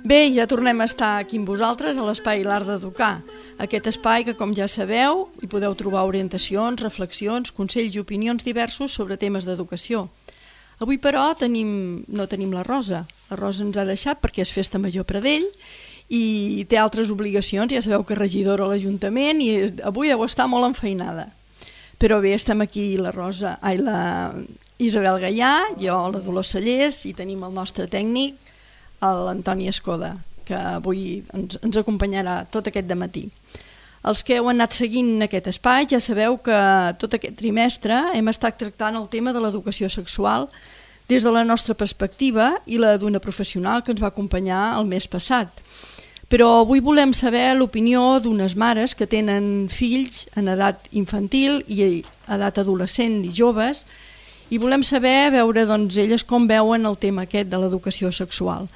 Bé, ja tornem a estar aquí amb vosaltres a l'Espai L'Art d'Educar. Aquest espai que, com ja sabeu, hi podeu trobar orientacions, reflexions, consells i opinions diversos sobre temes d'educació. Avui, però, no tenim la Rosa. La Rosa ens ha deixat perquè és festa major Pradell i té altres obligacions. Ja sabeu que és regidora a l'Ajuntament i avui deu estar molt enfeinada. Però bé, estem aquí la Isabel Gaià, jo, la Dolors Cellers, i tenim el nostre tècnic, l'Antoni Escoda, que avui ens acompanyarà tot aquest dematí. Els que heu anat seguint aquest espai ja sabeu que tot aquest trimestre hem estat tractant el tema de l'educació sexual des de la nostra perspectiva i la d'una professional que ens va acompanyar el mes passat. Però avui volem saber l'opinió d'unes mares que tenen fills en edat infantil i edat adolescent i joves i volem saber, veure elles com veuen el tema aquest de l'educació sexual.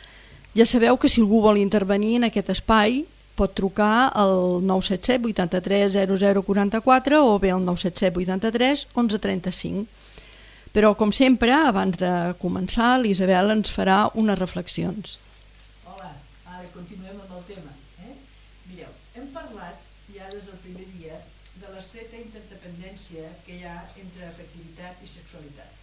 Ja sabeu que si algú vol intervenir en aquest espai pot trucar al 977 83 0044 o bé al 977 83 11 35. Però, com sempre, abans de començar, l'Isabel ens farà unes reflexions. Hola, ara continuem amb el tema. Mireu, hem parlat ja des del primer dia de l'estreta interdependència que hi ha entre afectivitat i sexualitat.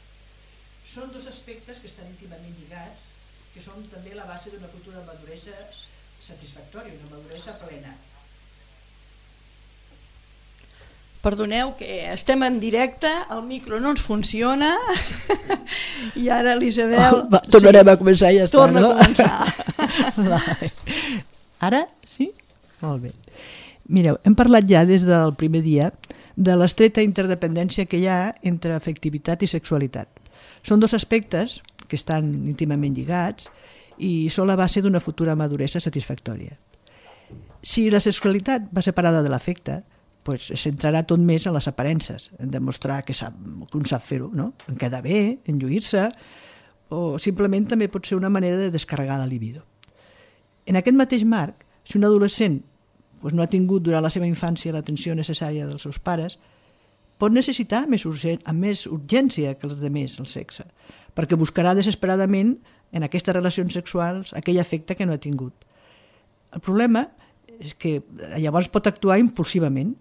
Són dos aspectes que estan íntimament lligats, que són també la base d'una futura maduresa satisfactòria, una maduresa plena. Perdoneu que estem en directe, el micro no ens funciona i ara l'Isabel... Tornarem a començar i ja està, no? Torna a començar. Ara? Sí? Molt bé. Mireu, hem parlat ja des del primer dia de l'estreta interdependència que hi ha entre afectivitat i sexualitat. Són dos aspectes que estan íntimament lligats i són la base d'una futura maduresa satisfactòria. Si la sexualitat va separada de l'afecte, es centrarà tot més en les aparences, en demostrar que un sap fer-ho, no? En quedar bé, en lluir-se, o simplement també pot ser una manera de descarregar la libido. En aquest mateix marc, si un adolescent no ha tingut durant la seva infància l'atenció necessària dels seus pares, pot necessitar amb més urgència que els altres el sexe, perquè buscarà desesperadament en aquestes relacions sexuals aquell afecte que no ha tingut. El problema és que llavors pot actuar impulsivament,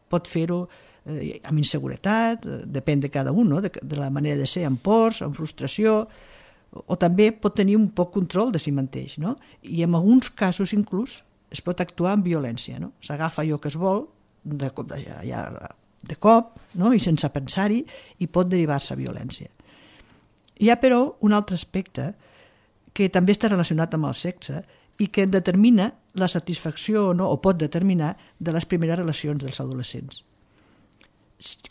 pot fer-ho amb inseguretat, depèn de cada un, de la manera de ser, amb pors, amb frustració, o també pot tenir un poc control de si mateix, i en alguns casos inclús es pot actuar amb violència. S'agafa allò que es vol de cop i sense pensar-hi i pot derivar-se a violència. Hi ha, però, un altre aspecte que també està relacionat amb el sexe i que determina la satisfacció o pot determinar de les primeres relacions dels adolescents.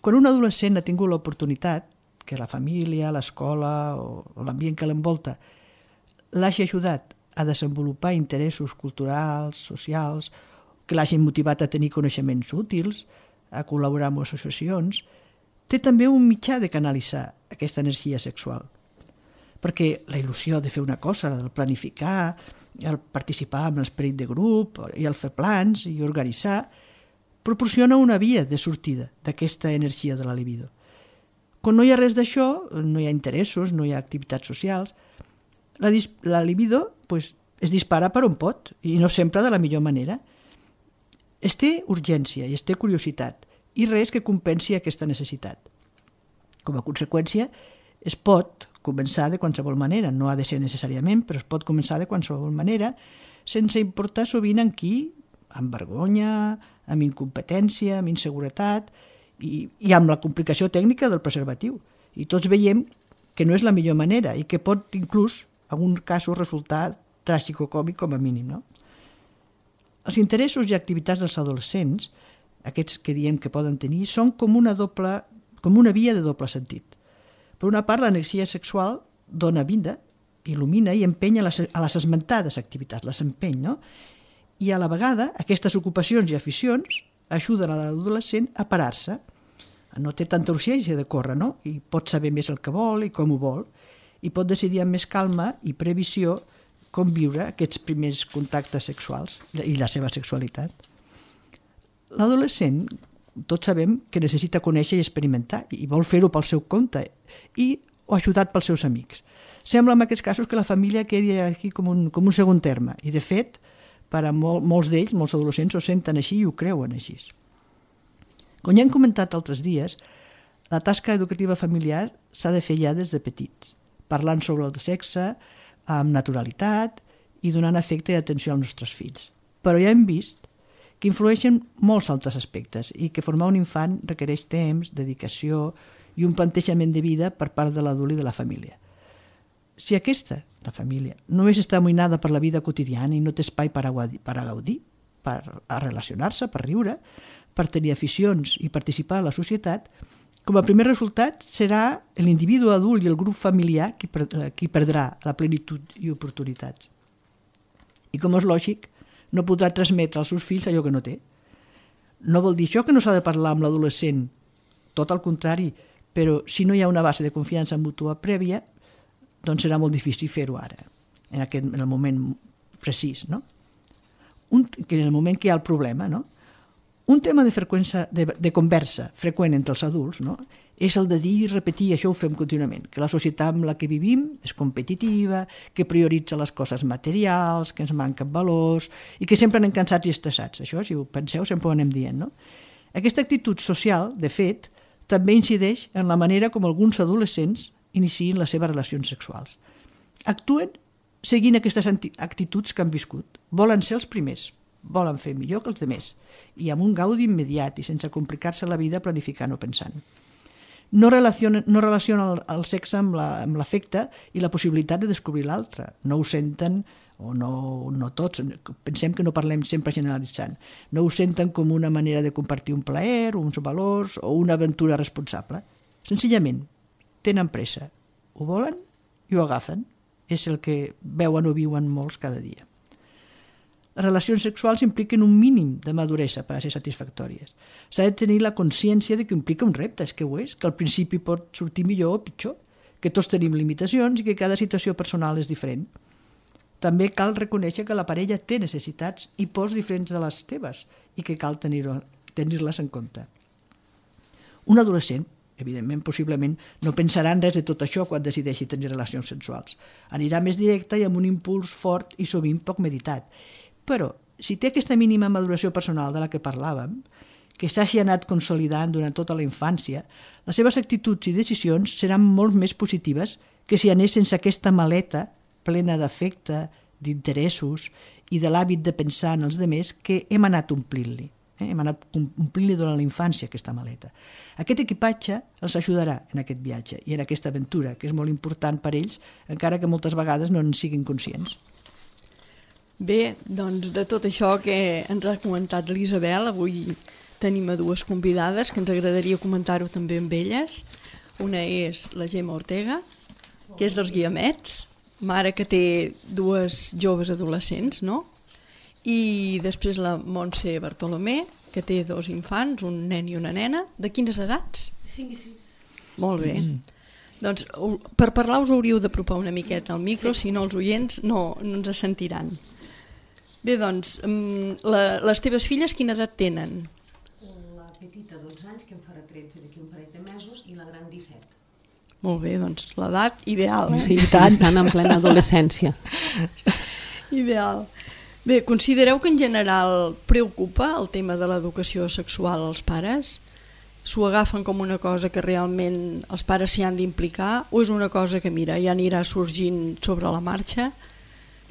Quan un adolescent ha tingut l'oportunitat que la família, l'escola o l'ambient que l'envolta l'hagi ajudat a desenvolupar interessos culturals, socials, que l'hagin motivat a tenir coneixements útils, a col·laborar amb associacions, té també un mitjà de canalitzar aquesta energia sexual. Perquè la il·lusió de fer una cosa, el planificar, el participar en l'esperit de grup i el fer plans i organitzar, proporciona una via de sortida d'aquesta energia de la libido. Quan no hi ha res d'això, no hi ha interessos, no hi ha activitats socials, la libido es dispara per on pot i no sempre de la millor manera. Es té urgència i es té curiositat i res que compensi aquesta necessitat. Com a conseqüència, es pot començar de qualsevol manera, no ha de ser necessàriament, però es pot començar de qualsevol manera, sense importar sovint en qui, amb vergonya, amb incompetència, amb inseguretat i amb la complicació tècnica del preservatiu. I tots veiem que no és la millor manera i que pot inclús, en alguns casos, resultar tràgico-còmic com a mínim. No? Els interessos i activitats dels adolescents, aquests que diem que poden tenir, són com una via de doble sentit. Per una part, l'energia sexual dona vida, il·lumina i empenya a les esmentades activitats, les empeny, no? I a la vegada aquestes ocupacions i aficions ajuden a l'adolescent a parar-se. No té tanta urgència de córrer, no? I pot saber més el que vol i com ho vol, i pot decidir amb més calma i previsió com viure aquests primers contactes sexuals i la seva sexualitat. L'adolescent, tots sabem que necessita conèixer i experimentar i vol fer-ho pel seu compte o ajudat pels seus amics. Sembla en aquests casos que la família quedi aquí com un segon terme i, de fet, per a molts d'ells, molts adolescents, ho senten així i ho creuen així. Com ja hem comentat altres dies, la tasca educativa familiar s'ha de fer ja des de petits, parlant sobre el sexe amb naturalitat i donant afecte i atenció als nostres fills. Però ja hem vist que influeixen molts altres aspectes i que formar un infant requereix temps, dedicació i un plantejament de vida per part de l'adult i de la família. Si aquesta, la família, només està amoïnada per la vida quotidiana i no té espai per a gaudir, per a relacionar-se, per riure, per tenir aficions i participar a la societat, com a primer resultat serà l'individu adult i el grup familiar qui perdrà la plenitud i oportunitats. I com és lògic, no podrà transmetre als seus fills allò que no té. No vol dir això que no s'ha de parlar amb l'adolescent, tot al contrari, però si no hi ha una base de confiança mútua prèvia, doncs serà molt difícil fer-ho ara, en el moment precís, no? En el moment que hi ha el problema, no? Un tema de conversa freqüent entre els adults, no? És el de dir i repetir, això ho fem contínuament, que la societat amb la que vivim és competitiva, que prioritza les coses materials, que ens manquen valors i que sempre anem cansats i estressats. Això, si ho penseu, sempre ho anem dient, no? Aquesta actitud social, de fet, també incideix en la manera com alguns adolescents iniciïn les seves relacions sexuals. Actuen seguint aquestes actituds que han viscut. Volen ser els primers, volen fer millor que els altres, i amb un gaudi immediat i sense complicar-se la vida planificant o pensant. No relacionen el sexe amb l'afecte i la possibilitat de descobrir l'altre. No ho senten, o no tots, pensem que no parlem sempre generalitzant, no ho senten com una manera de compartir un plaer, uns valors o una aventura responsable. Senzillament, tenen pressa, ho volen i ho agafen. És el que veuen o viuen molts cada dia. Les relacions sexuals impliquen un mínim de maduresa per a ser satisfactòries. S'ha de tenir la consciència de que implica un repte, és que ho és, que al principi pot sortir millor o pitjor, que tots tenim limitacions i que cada situació personal és diferent. També cal reconèixer que la parella té necessitats i pors diferents de les teves i que cal tenir-les en compte. Un adolescent, evidentment, possiblement, no pensarà en res de tot això quan decideixi tenir relacions sexuals. Anirà més directe i amb un impuls fort i sovint poc meditat. Però, si té aquesta mínima maduració personal de la que parlàvem, que s'hagi anat consolidant durant tota la infància, les seves actituds i decisions seran molt més positives que si anés sense aquesta maleta plena d'afecte, d'interessos i de l'hàbit de pensar en els altres que hem anat omplint-li. Hem anat omplint-li durant la infància aquesta maleta. Aquest equipatge els ajudarà en aquest viatge i en aquesta aventura, que és molt important per ells, encara que moltes vegades no en siguin conscients. Bé, doncs de tot això que ens ha comentat l'Isabel, avui tenim a dues convidades que ens agradaria comentar-ho també amb elles. Una és la Gemma Ortega, que és dels Guiamets, mare que té dues joves adolescents, no? I després la Montse Bartolomé, que té dos infants, un nen i una nena. De quines edats? 5 i 6. Molt bé. Doncs per parlar us hauríeu d'apropar una miqueta al micro, si no els oients no ens sentiran. Bé, doncs, les teves filles quina edat tenen? La petita 12 anys, que em farà 13 d'aquí un parell de mesos, i la gran 17. Molt bé, doncs l'edat ideal. Sí, estan en plena adolescència. Ideal. Bé, considereu que en general preocupa el tema de l'educació sexual als pares? S'ho agafen com una cosa que realment els pares s'hi han d'implicar o és una cosa que, mira, ja anirà sorgint sobre la marxa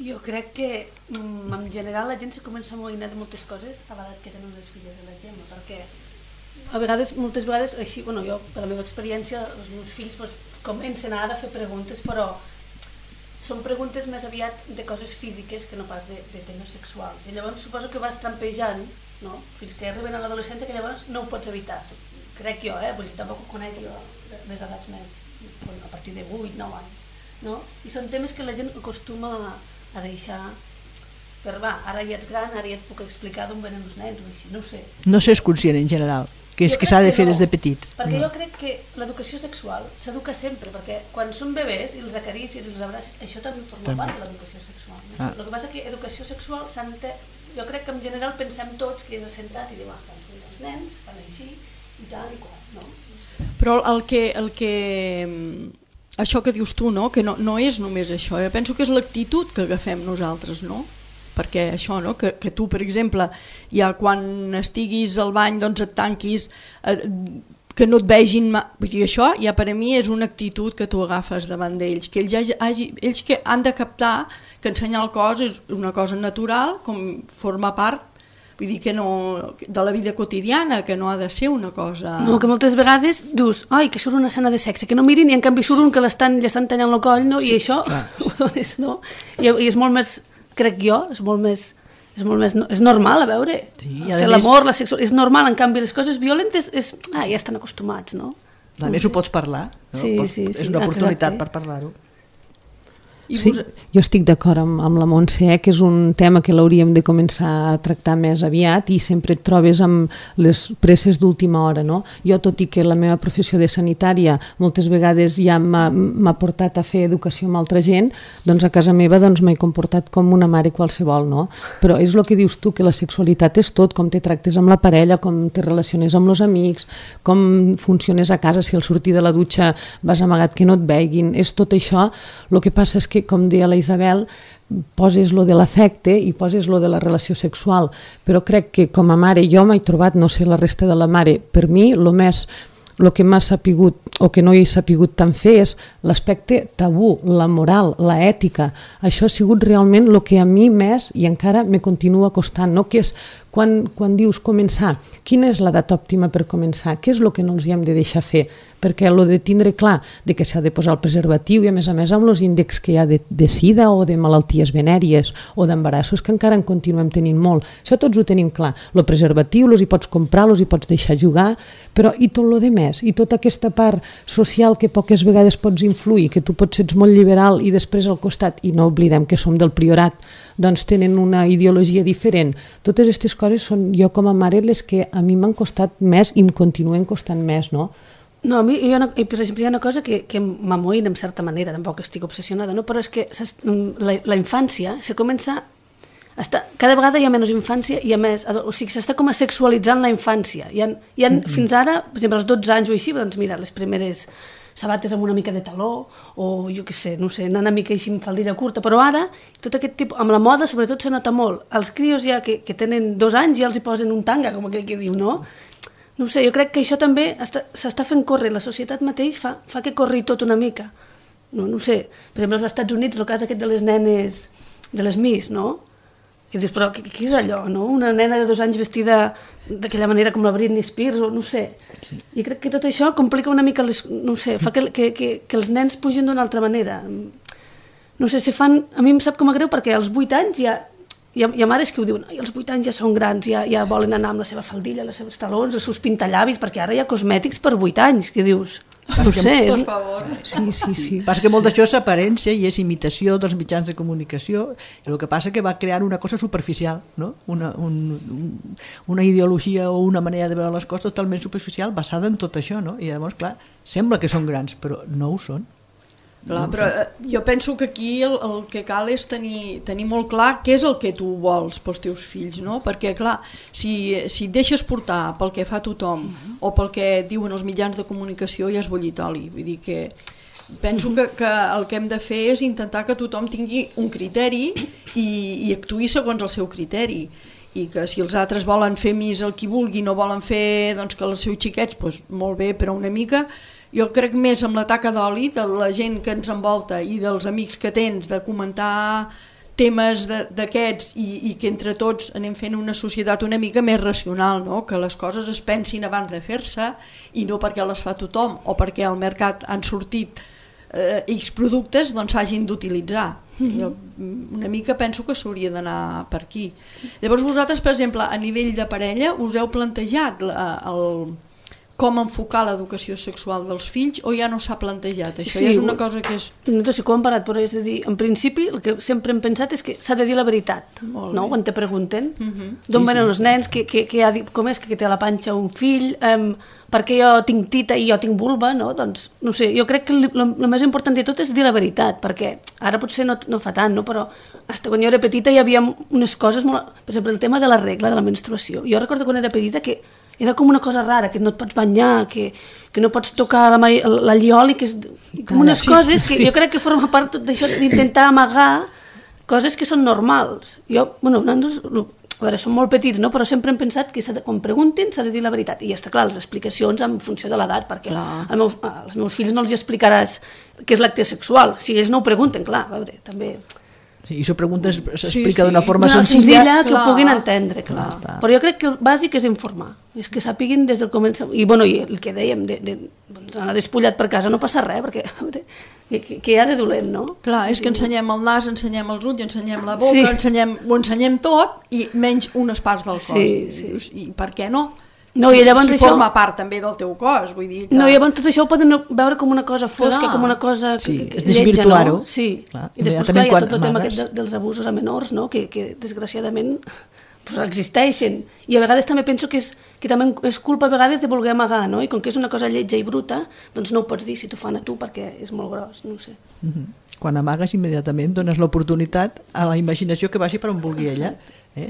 Jo crec que en general la gent se comença a amoïnar de moltes coses a l'edat que tenen les filles de la Gemma, perquè moltes vegades, així, jo, per la meva experiència, els meus fills comencen ara a fer preguntes, però són preguntes més aviat de coses físiques que no pas de temes sexuals. I llavors suposo que vas trampejant, no? Fins que arriben a l'adolescència, que llavors no ho pots evitar. Crec jo, vull dir, tampoc ho conec jo, les edats més, a partir de 8-9 anys. No? I són temes que la gent acostuma a deixar per ara ja ets gran, ara ja et puc explicar d'on venen els nens o així, no ho sé. No s'és conscient en general, que és que s'ha de fer des de petit. Perquè jo crec que l'educació sexual s'educa sempre, perquè quan són bebès i els acaricis i els abracis, això també forma part de l'educació sexual. No? El que passa que educació sexual jo crec que en general pensem tots que és assentat i diu, doncs els nens fan així i tal i qual, no? Però el que això que dius tu, no? Que no és només això, jo penso que és l'actitud que agafem nosaltres, no? Perquè això, no? Que tu, per exemple, ja quan estiguis al bany doncs et tanquis, que no et vegin, vull dir, això ja per a mi és una actitud que tu agafes davant d'ells, que ells que han de captar que ensenyar el cos és una cosa natural, com forma part, vull dir que no, de la vida quotidiana, que no ha de ser una cosa... No, que moltes vegades dius, ai, que surt una escena de sexe, que no mirin i en canvi surt un que li estan tallant el coll, no? I això no? I és molt més, crec jo, és molt més, és normal, a veure, fer l'amor, la sexualitat, és normal, en canvi les coses violentes ja estan acostumats, no? A més ho pots parlar, no? És una oportunitat per parlar-ho. Sí, jo estic d'acord amb la Montse, que és un tema que l'hauríem de començar a tractar més aviat i sempre et trobes amb les presses d'última hora, no? Jo, tot i que la meva professió de sanitària moltes vegades ja m'ha portat a fer educació amb altra gent, doncs a casa meva m'he comportat com una mare qualsevol, no? Però és el que dius tu, que la sexualitat és tot, com te tractes amb la parella, com te relaciones amb els amics, com funciones a casa, si al sortir de la dutxa vas amagat que no et veguin, és tot això. El que passa és que, com deia la Isabel, poses lo de l'afecte i poses lo de la relació sexual, però crec que com a mare jo m'he trobat, no sé la resta de la mare, per mi el que m'ha sapigut o que no he sapigut tant fer és l'aspecte tabú, la moral, la ètica. Això ha sigut realment el que a mi més i encara me continua costant, no? Que és quan dius començar, quina és l'edat òptima per començar? Què és el que no els hi hem de deixar fer? Perquè el de tindre clar de que s'ha de posar el preservatiu i a més amb els índexs que hi ha de sida o de malalties venèries o d'embarassos que encara en continuem tenint molt, això tots ho tenim clar, el preservatiu els hi pots comprar, els hi pots deixar jugar, però i tot el de més, i tota aquesta part social que poques vegades pots influir, que tu pots ser molt liberal i després al costat, i no oblidem que som del priorat, doncs tenen una ideologia diferent. Totes aquestes coses són jo com a mare les que a mi m'han costat més i em continuen costant més, no? No, a mi, per exemple, hi ha una cosa que m'amoïna en certa manera, tampoc estic obsessionada, no? Però és que la infància se comença... Cada vegada hi ha menys infància i a més, o sigui, s'està com a sexualitzant la infància. Hi ha fins ara, per exemple, als 12 anys o així, doncs mira, les primeres sabates amb una mica de taló, o jo què sé, no sé, anar una mica així amb faldilla curta, però ara, tot aquest tipus, amb la moda sobretot se nota molt. Els crios ja que tenen 2 anys ja els hi posen un tanga, com aquell que diu, no? No sé, jo crec que això també s'està fent córrer, la societat mateix fa que corri tot una mica. No sé, per exemple, als Estats Units, el cas aquest de les nenes, de les Miss, no? Que dius, però què és allò, no? Una nena de 2 anys vestida d'aquella manera com la Britney Spears, o no sé. Sí. I crec que tot això complica una mica, no sé, fa que els nens pugin d'una altra manera. No sé, a mi em sap com a greu perquè als 8 anys hi ha mares que ho diuen, als 8 anys ja són grans, ja volen anar amb la seva faldilla, els seus talons, els seus pintallavis, perquè ara hi ha cosmètics per 8 anys, que dius... No sé, per favor. Sí. Passa que molt d'això és aparència i és imitació dels mitjans de comunicació, i el que passa que va crear una cosa superficial, no? Una ideologia o una manera de veure les coses totalment superficial basada en tot això, no? I llavors, clar, sembla que són grans, però no ho són. Clar, però jo penso que aquí el que cal és tenir molt clar què és el que tu vols pels teus fills, no? Perquè clar, si et deixes portar pel que fa tothom o pel que diuen els mitjans de comunicació ja has bollit oli, vull dir que penso que el que hem de fer és intentar que tothom tingui un criteri i actuï segons el seu criteri, i que si els altres volen fer més el que vulgui, no volen fer doncs, que els seus xiquets, doncs, molt bé, però una mica... Jo crec més amb la taca d'oli de la gent que ens envolta i dels amics que tens, de comentar temes d'aquests i que entre tots anem fent una societat una mica més racional, no? Que les coses es pensin abans de fer-se i no perquè les fa tothom o perquè al mercat han sortit X productes, doncs s'hagin d'utilitzar. Jo una mica penso que s'hauria d'anar per aquí. Llavors vosaltres, per exemple, a nivell de parella, us heu plantejat com enfocar l'educació sexual dels fills o ja no s'ha plantejat? Això ja és una cosa que és... Nosaltres sí que ho hem parat, però és a dir, en principi el que sempre hem pensat és que s'ha de dir la veritat, no? Quan te pregunten d'on venen els nens, com és que té a la panxa un fill, per què jo tinc tita i jo tinc vulva, no? Doncs, no sé, jo crec que el més important de tot és dir la veritat, perquè ara potser no fa tant, no? Però fins quan jo era petita hi havia unes coses molt... Per exemple, el tema de la regla, de la menstruació. Jo recordo quan era petita que era com una cosa rara, que no et pots banyar, que no pots tocar l'allioli, que és com unes coses que jo crec que forma part tot d'això d'intentar amagar coses que són normals. Jo, bueno, a veure, som molt petits, no? Però sempre hem pensat que quan preguntin s'ha de dir la veritat. I està clar, les explicacions en funció de l'edat, perquè als meus fills no els explicaràs què és l'acte sexual. Si ells no ho pregunten, clar, a veure, també... Sí, i això s'explica d'una forma senzilla que ho puguin entendre, clar. Però jo crec que el bàsic és informar, és que sàpiguin des del començament. I bueno, i el que dèiem, anar despullat per casa no passa res, perquè què hi ha de dolent, no? Clar, és que ensenyem el nas, ensenyem els ulls, ensenyem la boca, ho ensenyem tot i menys unes parts del cos. I per què no? No, i llavors si forma part també del teu cos, vull dir que... No, i llavors tot això ho poden veure com una cosa fosca, com una cosa lletja, no? Sí, i després clar, hi ha tot el tema dels abusos a menors, no? Que desgraciadament existeixen, i a vegades també penso que també és culpa a vegades de voler amagar, no? I com que és una cosa lletja i bruta, doncs no ho pots dir si t'ho fan a tu perquè és molt gros, no ho sé. Quan amagues immediatament dones l'oportunitat a la imaginació que vagi per on vulgui ella,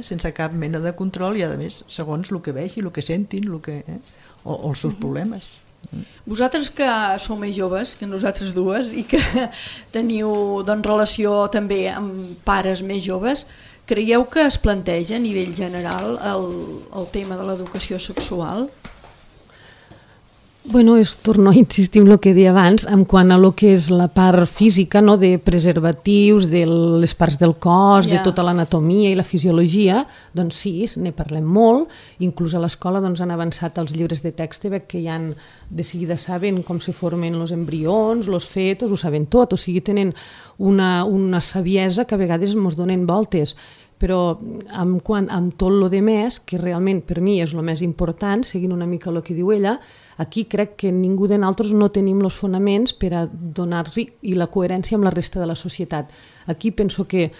sense cap mena de control i a més segons el que vegi, el que sentin o els seus problemes. Vosaltres que sou més joves que nosaltres dues i que teniu relació també amb pares més joves, creieu que es planteja a nivell general el tema de l'educació sexual? Bueno, torno a insistir en el que deia abans, en quant a lo que és la part física, no, de preservatius, de les parts del cos, de tota l'anatomia i la fisiologia, doncs sí, ne parlem molt, inclús a l'escola han avançat els llibres de text, que ja de seguida saben com se formen els embrions, els fetos, ho saben tot, o sigui, tenen una saviesa que a vegades ens donen voltes, però amb tot el de més, que realment per mi és el més important, seguint una mica el que diu ella, aquí crec que ningú de nosaltres no tenim els fonaments per a donar-hi i la coherència amb la resta de la societat. Aquí penso que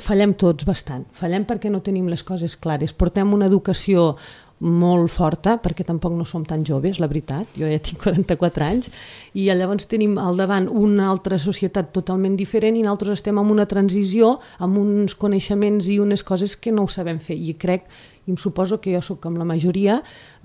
fallem tots bastant. Fallem perquè no tenim les coses clares. Portem una educació molt forta, perquè tampoc no som tan joves, la veritat, jo ja tinc 44 anys, i llavors tenim al davant una altra societat totalment diferent i nosaltres estem en una transició amb uns coneixements i unes coses que no ho sabem fer, i crec, i em suposo que jo soc amb la majoria,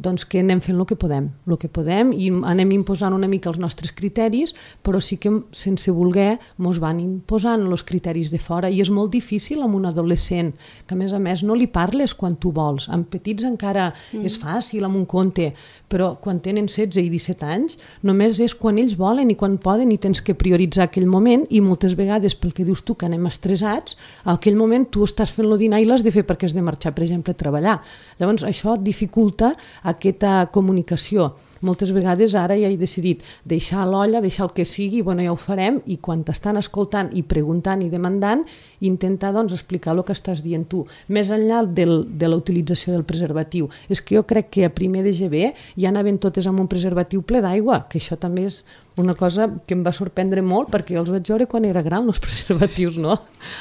doncs que anem fent el que podem i anem imposant una mica els nostres criteris, però sí que sense voler mos van imposant els criteris de fora, i és molt difícil amb un adolescent, que a més no li parles quan tu vols. Amb petits encara és fàcil amb un conte, però quan tenen 16 i 17 anys només és quan ells volen i quan poden, i tens que prioritzar aquell moment, i moltes vegades pel que dius tu que anem estressats, en aquell moment tu estàs fent el dinar i l'has de fer perquè has de marxar, per exemple, a treballar. Llavors això dificulta aquesta comunicació. Moltes vegades ara ja he decidit deixar l'olla, deixar el que sigui, bueno, ja ho farem, i quan t'estan escoltant i preguntant i demandant, intentar explicar el que estàs dient tu, més enllà de la utilització del preservatiu. És que jo crec que a primer de GB ja anaven totes amb un preservatiu ple d'aigua, que això també és una cosa que em va sorprendre molt, perquè jo els vaig veure quan era gran, els preservatius, no?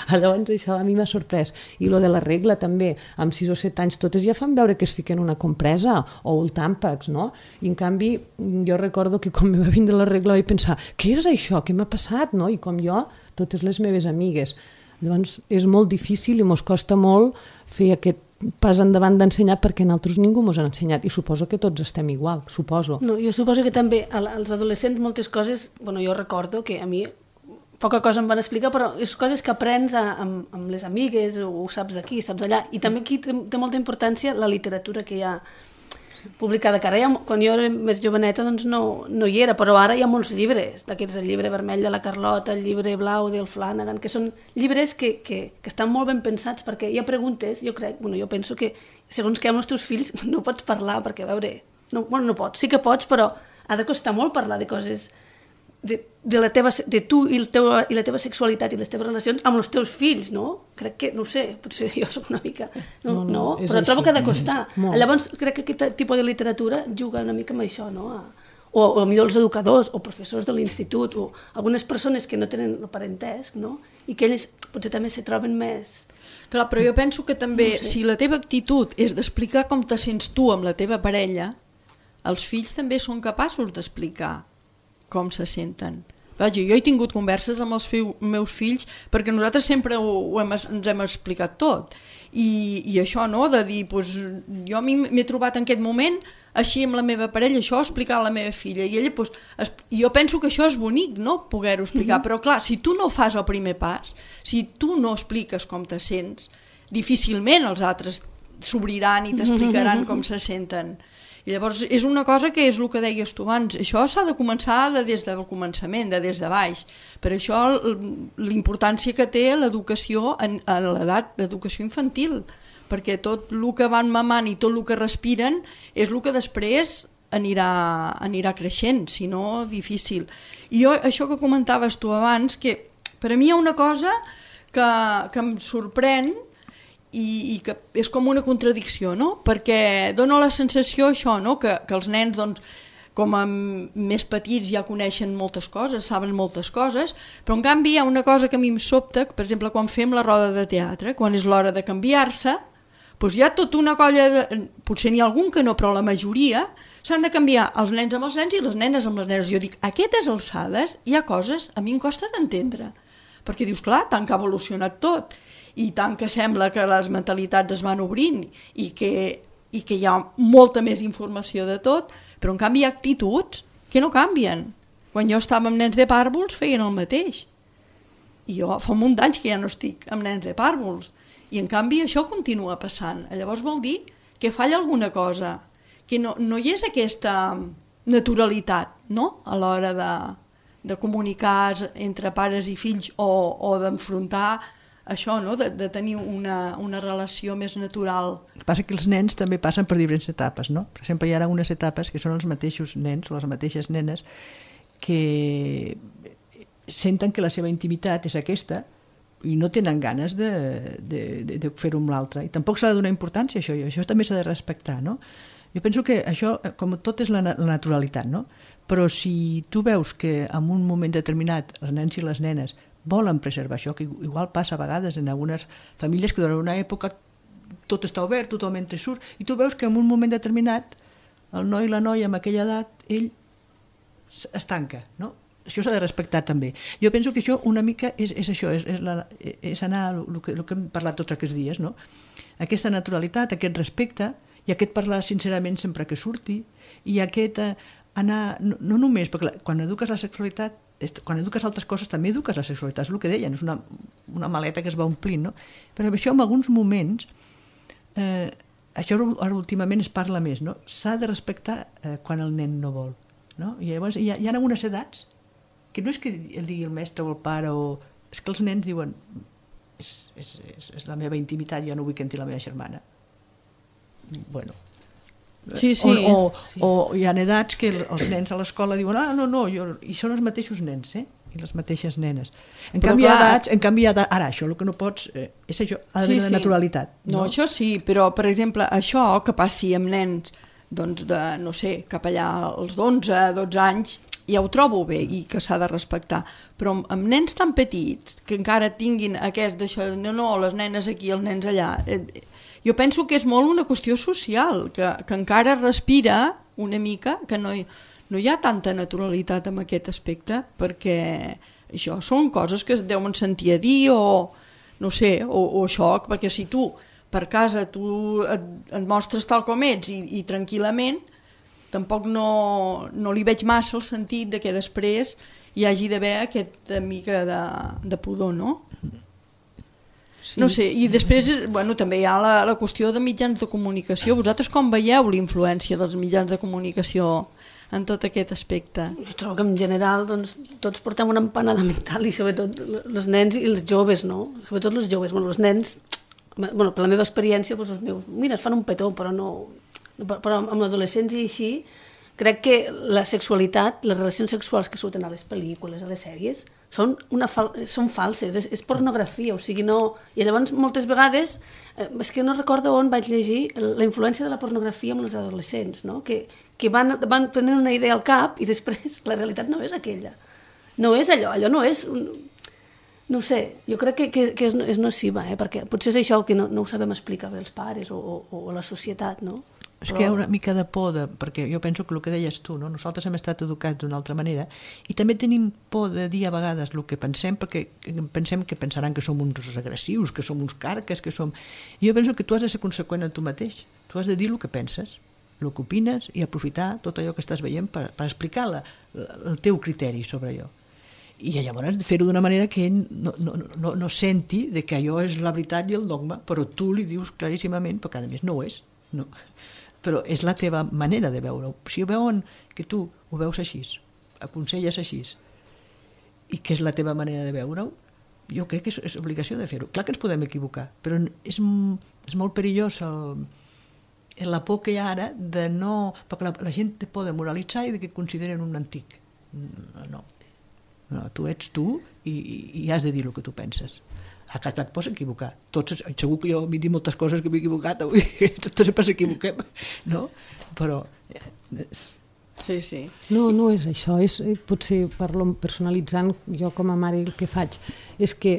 Llavors això a mi m'ha sorprès. I lo de la regla també, amb 6 o 7 anys totes ja fan veure que es fiquen una compresa o el tàmpax, no? I en canvi jo recordo que quan me va vindre la regla vaig pensar, què és això? Què m'ha passat? No? I com jo, totes les meves amigues. Llavors és molt difícil i mos costa molt fer aquest pas endavant d'ensenyar, perquè nosaltres ningú mos ha ensenyat, i suposo que tots estem igual, suposo. No, jo suposo que també als adolescents moltes coses, bueno, jo recordo que a mi poca cosa em van explicar, però és coses que aprens amb les amigues, o saps d'aquí, saps d'allà, i també aquí té molta importància la literatura que hi ha publicada, que ara quan jo era més joveneta doncs no hi era, però ara hi ha molts llibres, d'aquests, el llibre vermell de la Carlota, el llibre blau del Flanagan, que són llibres que estan molt ben pensats, perquè hi ha preguntes, jo penso que segons que amb els teus fills no pots parlar, perquè a veure, no pots, sí que pots, però ha de costar molt parlar de coses de tu i la teva sexualitat i les teves relacions amb els teus fills, no? Crec que, no ho sé, potser jo soc una mica... No, però trobo que ha de costar. Llavors, crec que aquest tipus de literatura juga una mica amb això, no? O millor els educadors, o professors de l'institut, o algunes persones que no tenen el parentesc, no? I que ells potser també se troben més... Clar, però jo penso que també, si la teva actitud és d'explicar com te sents tu amb la teva parella, els fills també són capaços d'explicar com se senten. Vaja, jo he tingut converses amb els meus fills perquè nosaltres sempre ens hem explicat tot. I això, no?, de dir, doncs, jo m'he trobat en aquest moment així amb la meva parella, això explicar a la meva filla. I ella, doncs, jo penso que això és bonic, no?, poder-ho explicar. Però clar, si tu no fas el primer pas, si tu no expliques com te sents, difícilment els altres s'obriran i t'explicaran com se senten. I llavors és una cosa que és el que deies tu abans, això s'ha de començar des del començament, des de baix. Per això l'importància que té l'educació a l'edat d'educació infantil, perquè tot el que van mamant i tot el que respiren és el que després anirà creixent, si no, difícil. I jo, això que comentaves tu abans, que per a mi hi ha una cosa que em sorprèn, i que és com una contradicció, no? Perquè dona la sensació això, no? Que els nens, doncs, com a més petits ja coneixen moltes coses, saben moltes coses, però en canvi hi ha una cosa que a mi em sobta, per exemple, quan fem la roda de teatre, quan és l'hora de canviar-se, doncs hi ha tota una colla, potser n'hi ha algun que no, però la majoria, s'han de canviar els nens amb els nens i les nenes amb les nenes. Jo dic, a aquestes alçades hi ha coses, a mi em costa d'entendre, perquè dius, clar, tant que ha evolucionat tot, i tant que sembla que les mentalitats es van obrint i que hi ha molta més informació de tot, però en canvi hi ha actituds que no canvien. Quan jo estava amb nens de pàrvuls feien el mateix. I jo fa un munt d'anys que ja no estic amb nens de pàrvuls. I en canvi això continua passant. Llavors vol dir que falla alguna cosa, que no hi és aquesta naturalitat, no?, a l'hora de comunicar entre pares i fills o d'enfrontar això, no?, de tenir una relació més natural. El que passa que els nens també passen per diferents etapes, no? Per exemple, hi ha algunes etapes que són els mateixos nens o les mateixes nenes que senten que la seva intimitat és aquesta i no tenen ganes de fer-ho amb l'altre. I tampoc s'ha de donar importància a això, i això també s'ha de respectar, no? Jo penso que això, com tot, és la naturalitat, no? Però si tu veus que en un moment determinat els nens i les nenes volen preservar això, que igual passa a vegades en algunes famílies que durant una època tot està obert, tothom entra i surt, i tu veus que en un moment determinat el noi i la noia amb aquella edat, ell es tanca, no? Això s'ha de respectar també. Jo penso que això una mica és això, és anar el que hem parlat tots aquests dies, no? Aquesta naturalitat, aquest respecte, i aquest parlar sincerament sempre que surti, i aquest anar, no només, perquè quan eduques la sexualitat, quan eduques altres coses també eduques la sexualitat, és el que deien, és una maleta que es va omplint, no? Però això en alguns moments, això ara últimament es parla més, no? S'ha de respectar quan el nen no vol, no? I llavors hi ha algunes edats que no és que el digui el mestre o el pare, és que els nens diuen és la meva intimitat, jo no vull que entri la meva germana. Bueno, sí. O hi ha edats que els nens a l'escola diuen i són els mateixos nens, i les mateixes nenes. En canvi hi ha edats, ara això el que no pots és això, ha d'haver de naturalitat. No, això sí, però per exemple això que passi amb nens doncs de, no sé, cap allà als 11, 12 anys, ja ho trobo bé i que s'ha de respectar, però amb nens tan petits que encara tinguin aquest d'això, no, les nenes aquí, els nens allà, jo penso que és molt una qüestió social, que encara respira una mica, que no hi ha tanta naturalitat en aquest aspecte, perquè això són coses que es deuen sentir a dir o no sé, o això, perquè si tu per casa et mostres tal com ets i tranquil·lament, tampoc no li veig massa el sentit de que després hi hagi d'haver aquesta mica de pudor, no? Sí. No sé, i després també hi ha la qüestió de mitjans de comunicació. Vosaltres com veieu la influència dels mitjans de comunicació en tot aquest aspecte? Jo trobo que en general tots portem una empanada mental i sobretot els nens i els joves, no? Sobretot els joves, els nens, per la meva experiència, els meus, mira, es fan un petó, però amb l'adolescència i així, crec que la sexualitat, les relacions sexuals que surten a les pel·lícules, a les sèries, són falses, és pornografia, o sigui, no... I llavors, moltes vegades, és que no recordo on vaig llegir la influència de la pornografia amb els adolescents, no? Que van prenent una idea al cap i després la realitat no és aquella. No és allò no és... No ho sé, jo crec que és nociva, perquè potser és això que no ho sabem explicar bé els pares o la societat, no? És que hi ha una mica de por, perquè jo penso que el que deies tu, no? Nosaltres hem estat educats d'una altra manera i també tenim por de dir a vegades el que pensem, perquè pensem que pensaran que som uns agressius, que som uns carques, que som... I jo penso que tu has de ser conseqüent en tu mateix, tu has de dir el que penses, el que opines i aprofitar tot allò que estàs veient per explicar el teu criteri sobre allò. I llavors fer-ho d'una manera que ell no senti que allò és la veritat i el dogma, però tu li dius claríssimament, perquè a més no ho és, no. Però és la teva manera de veure-ho. Si veuen que tu ho veus així, aconselles així, i que és la teva manera de veure-ho, jo crec que és obligació de fer-ho. Clar que ens podem equivocar, però és molt perillós la por que hi ha ara de no... Perquè la gent té por de moralitzar i de que consideren un antic. No, tu ets tu i has de dir el que tu penses. A casa et pots equivocar. Segur que jo m'he dit moltes coses que m'he equivocat avui, tots sempre s'equivoquem, no? Però... Sí. No és això, potser parlo personalitzant, jo com a mare el que faig és que,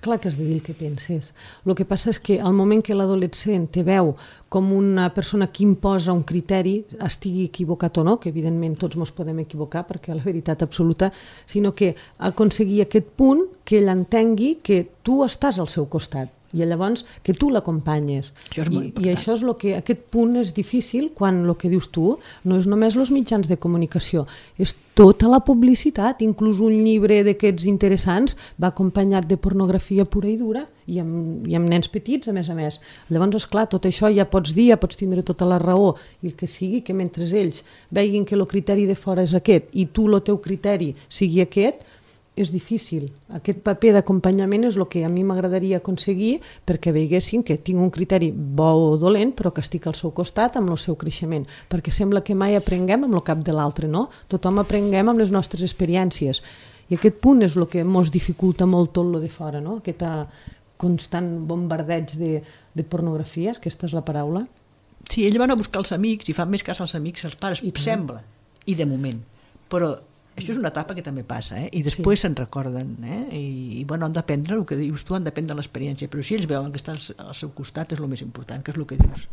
clar que has de dir el que penses. El que passa és que al moment que l'adolescent te veu com una persona que imposa un criteri, estigui equivocat o no, que evidentment tots ens podem equivocar perquè la veritat absoluta, sinó que aconseguir aquest punt que ell entengui que tu estàs al seu costat i llavors que tu l'acompanyes. I això és el que, aquest punt és difícil quan el que dius tu no és només els mitjans de comunicació, és tota la publicitat, inclús un llibre d'aquests interessants va acompanyat de pornografia pura i dura i amb nens petits, a més. Llavors, esclar, tot això ja pots dir, ja pots tindre tota la raó i el que sigui, que mentre ells veguin que el criteri de fora és aquest i tu el teu criteri sigui aquest, és difícil. Aquest paper d'acompanyament és el que a mi m'agradaria aconseguir perquè veiessin que tinc un criteri bo o dolent però que estic al seu costat amb el seu creixement, perquè sembla que mai aprenguem amb el cap de l'altre, no? Tothom aprenguem amb les nostres experiències i aquest punt és el que ens dificulta molt tot el de fora, no? Aquest constant bombardeig de pornografies, aquesta és la paraula. Sí, ells van a buscar els amics i fan més cas als amics que als pares, sembla, i de moment, però això és una etapa que també passa, i després se'n recorden, i bueno, han d'aprendre el que dius tu, han d'aprendre l'experiència, però si ells veuen que estan al seu costat és el més important, que és el que dius,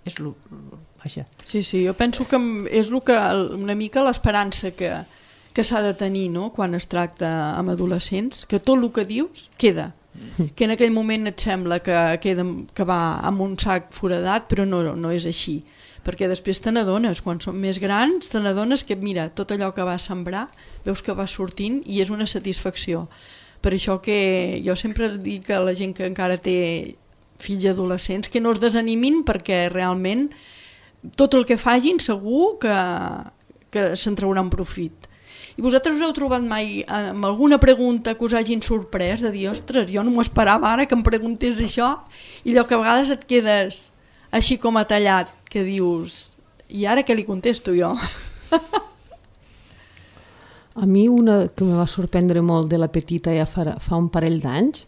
és vaja. Sí, jo penso que és una mica l'esperança que s'ha de tenir, no?, quan es tracta amb adolescents, que tot el que dius queda, que en aquell moment et sembla que va amb un sac foradat, però no és així. Perquè després te n'adones, quan són més grans, te n'adones que, mira, tot allò que vas sembrar, veus que va sortint i és una satisfacció. Per això que jo sempre dic a la gent que encara té fills adolescents que no es desanimin perquè realment tot el que facin segur que se'n trauran profit. I vosaltres us heu trobat mai amb alguna pregunta que us hagin sorprès de dir, ostres, jo no m'ho esperava ara que em preguntés això, i allò que a vegades et quedes així com a tallat, que dius, i ara què li contesto jo? A mi una que em va sorprendre molt de la petita ja fa un parell d'anys,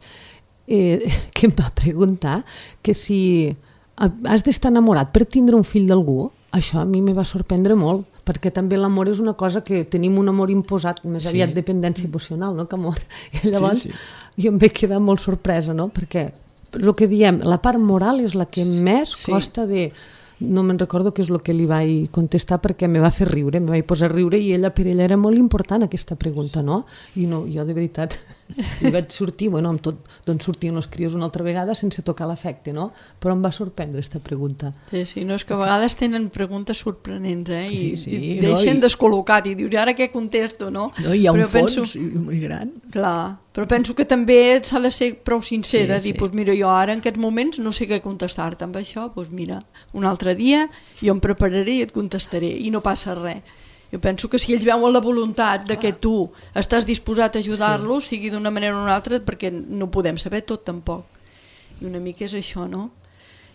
que em va preguntar que si has d'estar enamorat per tindre un fill d'algú, això a mi me va sorprendre molt, perquè també l'amor és una cosa que tenim un amor imposat, més aviat dependència emocional, no?, que amor. I llavors jo em vaig quedar molt sorpresa, no?, perquè el que diem, la part moral és la que més costa de... No me'n recordo què és el que li vaig contestar perquè me va fer riure, me vaig posar a riure i per ella era molt important aquesta pregunta, no? I no, jo de veritat I vaig sortir, bueno, amb tot, doncs sortien els crios una altra vegada sense tocar l'efecte, no? Però em va sorprendre aquesta pregunta. Sí, no, és que a vegades tenen preguntes sorprenents, I sí, deixen descol·locat i dius, ara què contesto, no? No, hi ha un fons molt gran. Clar, però penso que també s'ha de ser prou sincer, de dir, doncs mira, jo ara en aquests moments no sé què contestar-te amb això, doncs mira, un altre dia jo em prepararé i et contestaré, i no passa res. Jo penso que si ells veuen la voluntat de que tu estàs disposat a ajudar-los, sigui d'una manera o una altra, perquè no podem saber tot tampoc. I una mica és això, no?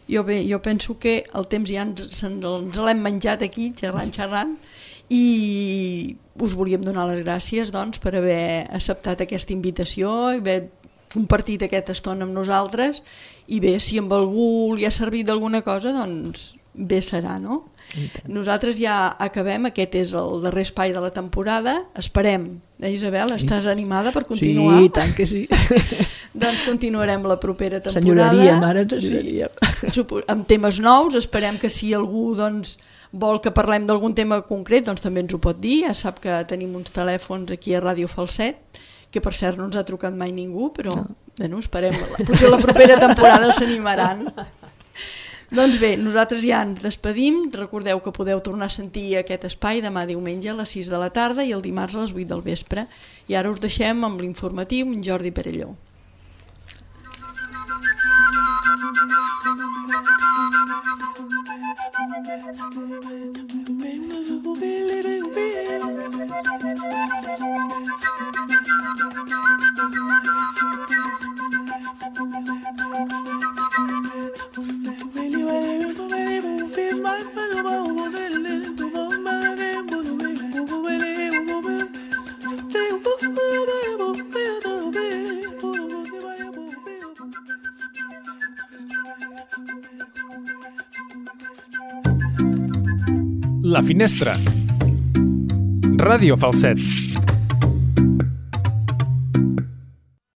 Jo penso que el temps ja ens l'hem menjat aquí, xerrant, i us volíem donar les gràcies doncs, per haver acceptat aquesta invitació i haver compartit aquesta estona amb nosaltres, i bé, si amb algú li ha servit d'alguna cosa, doncs bé serà, no? Nosaltres ja acabem, aquest és el darrer espai de la temporada, esperem, Isabel, estàs animada per continuar? Sí, tant que sí. Doncs continuarem la propera temporada. Senyoraríem, ara ens senyoraríem. Amb temes nous, esperem que si algú doncs, vol que parlem d'algun tema concret, doncs també ens ho pot dir, ja sap que tenim uns telèfons aquí a Ràdio Falset, que per cert no ens ha trucat mai ningú, però bueno, esperem, potser la propera temporada s'animaran. Doncs bé, nosaltres ja ens despedim, recordeu que podeu tornar a sentir aquest espai demà diumenge a les 6 de la tarda i el dimarts a les 8 del vespre. I ara us deixem amb l'informatiu amb Jordi Perelló. La Finestra. Ràdio Falset.